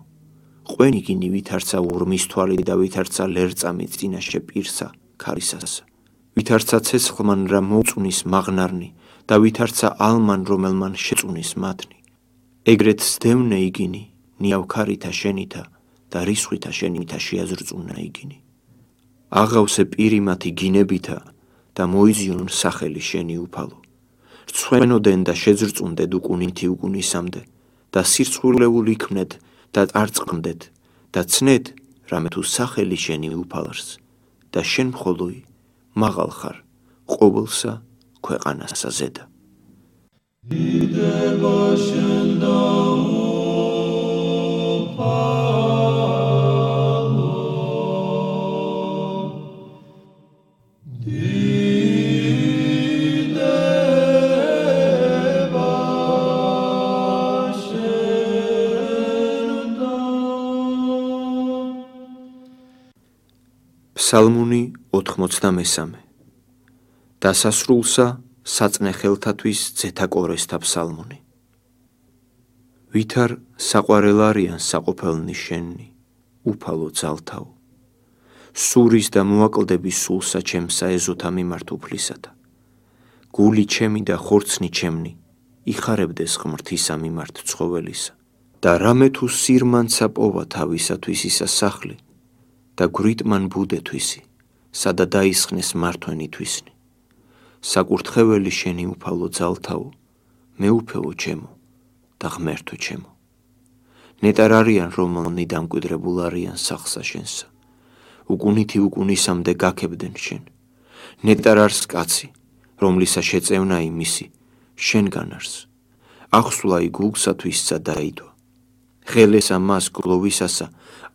S1: ყვენი გინი ვითარცა ურმის თვალი და ვითარცა ლერწამი წინაშე პირსა ქარისასა. ვითარცა ცეცხლმან რა მოწუნის მაღნარნი და ვითარცა ალმან რომელმან შეწუნის მათნი. ეგრეთ სდევნე იგინი ნიავქარითა შენითა და რისხვითა შენითა შეაზრწუნა იგინი. აღავსე პირი მათი გინებითა და მოიზიონ სახელი შენი უფალო. რცხვენოდენ და შეძრწუნდეთ უკუნითი უკუნისამდე და სირცხვილეულ იქმნეთ და არწყმდეთ და ცნეთ, რამე თუ სახელი შენი უფალს და შენ მხოლოი მაღალ ხარ ყოველსა ქვეყანასა ზედა. ფსალმუნი 93. დასასრულსა საწნე ხელთათვის ძეთა კორესთა ფსალმუნი. ვითარ საყვარელ არიან საყოფელნი შენი, უფალო ძალთაო. სურის და მოაკლდების სულსა ჩემსა ეზოთა მიმართ უფლისათა. გული ჩემი და ხორცნი ჩემნი იხარებდეს ღმრთისა მიმართ ცხოველისა. და რამე თუ სირმანცა პოვა თავისათვის ისა სახლი და გვრიტმან ბუდეთვისი, სადა დაისხნეს მართვენი თვისნი. საკურთხეველი შენი უფალო ძალთაო, მეუფეო ჩემო და ღმერთო ჩემო. ნეტარ არიან რომელნი დამკვიდრებულ არიან სახსა შენსა, უკუნითი უკუნისამდე გაქებდნენ შენ. ნეტარ არს კაცი, რომლისა შეწევნა იმისი, შენგან არს. ახსვლა გულსათვისსა დაიდო. ხელესა მას გლოვისასა,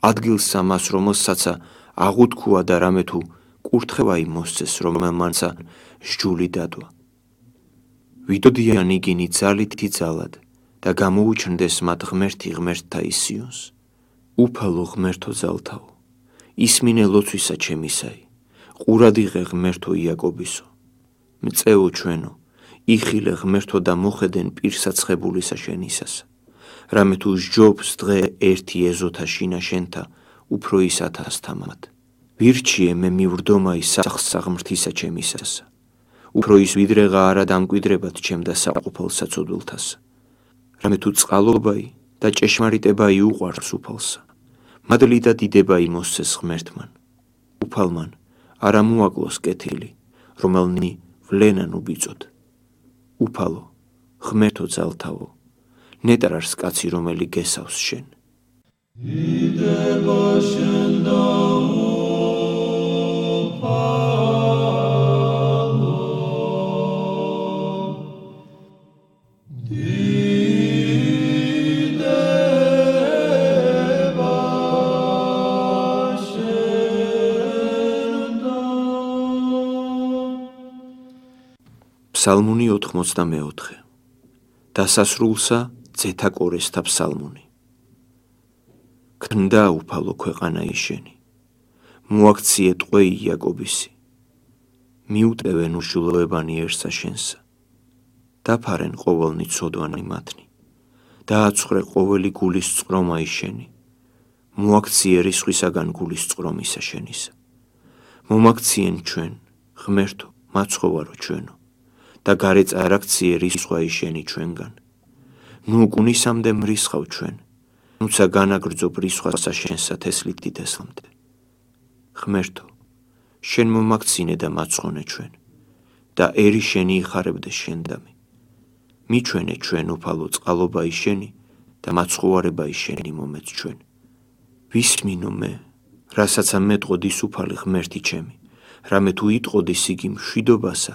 S1: ადგილსა მას რომელსაცა აღუთქვა და რამე თუ კურთხევაი მოსცეს, რომელმანსა სჯული დადვა. ვიდოდიან იგინი ძალითი ძალად და გამოუჩნდეს მათ ღმერთი ღმერთთა ისიონს. უფალო ღმერთო ძალთაო, ისმინე ლოცვისა ჩემისაი, ყურად იღე ღმერთო იაკობისო. მწეო ჩვენო, იხილე ღმერთო და მოხედენ პირსაცხებულისა შენისას. რამე თუ სჯობს დღე ერთი ეზოთა შინა შენთა, უფრო ის 1000 თამად. ვირჩიე მე მივრდომაი სახსა ღმრთისა ჩემისასა. უფრო ის ვიდრეღა არა დამკვიდრებად ჩემ და საყოფელ საცოდვილთასა. რამე თუ წყალობაი და ჭეშმარიტებაი უყვარს უფალსა. მადლი და დიდებაი მოსცეს ღმერთმან. უფალმან არა მოაკლოს კეთილი, რომელნი ვლენან უბიწოდ. უფალო, ღმერთო ძალთაო, ნეტარარს კაცი, რომელი გესავს შენ. დიდება შენ და უფალო, დიდება შენ და. ფსალმუნი 84. დასასრულსა ძეთა კორესთა ფსალმუნი. ქნდა უფალო ქვეყანა ისენი, მოაქციე ტყვეი იაკობისი, მიუტევენ უშულოებანიერსა შენსა, დაფარენ ყოველნი ცოდვანი მათნი, დააცხრე ყოველი გულის წყრომა ისენი, მოაქციე რისხვისაგან გულის წყრომისა შენისა. მომაქციენ ჩვენ, ღმერთო, მაცხოვარო ჩვენო, და გარე წარაქციე რისხვა ისენი ჩვენგან. ნუ გუნისამდე მრისხავ ჩვენ, ნუცა განაგრძობ რისხვასა შენსა თესლით დიდესლამდე. ღმერთო, შენ მომაქცინე და მაცხონე ჩვენ, და ერი შენი იხარებდე შენდამი. მიჩვენე ჩვენ უფალო წყალობა ისენი და მაცხოვარება ისენი მომეც ჩვენ. ვისმინო მე, რასაცა მეტყოდის უფალი ღმერთი ჩემი, რამე თუ იტყოდის იგი მშვიდობასა,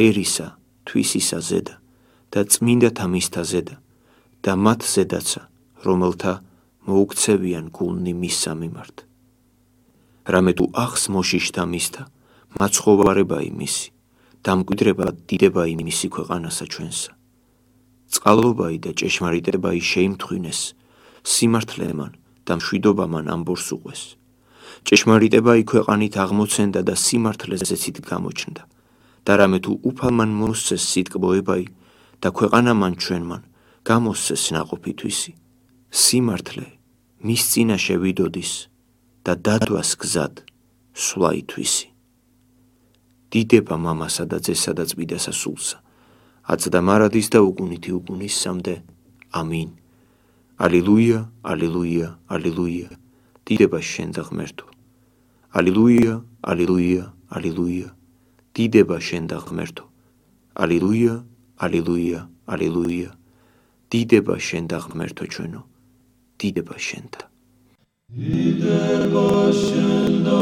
S1: ერისა, თვისისა ზედა და წმინდათა მისთა ზედა და მათ ზედაცა, რომელთა მოუქცევიან გულნი მისსა მიმართ. რამე თუ ახს მოშიშთა მისთა, მაცხოვარება იმისი, დამკვიდრება დიდება იმისი ქვეყანასა ჩვენსა. წყალობაი და ჭეშმარიტებაი შეიმთხვინეს, სიმართლემან და მშვიდობამან ამბორს უყვეს. ჭეშმარიტებაი ქვეყანით აღმოცენდა და სიმართლეს ზეცით გამოჩნდა. და რამე თუ უფალმან მოსცეს სიტკბოებაი და ქვეყანამან ჩვენმან გამოსცეს ნაყოფითვისი. სიმართლე მის წინაშე ვიდოდის და დადვას გზად სვლა ითვისი. დიდება მამასა და ძესა და წმიდასა სულსა, აწდა მარადის და უგუნითი უგუნისამდე. ამინ. ალილუია, ალილუია, ალილუია. დიდება შენ და ღმერთო. ალილუია, ალილუია, ალილუია. დიდება შენ და ღმერთო. ალილუია, ალილუია, ალილუია. დიდება შენ და ღმერთო ჩვენო. დიდება შენ და. დიდება შენ და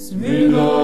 S2: Smida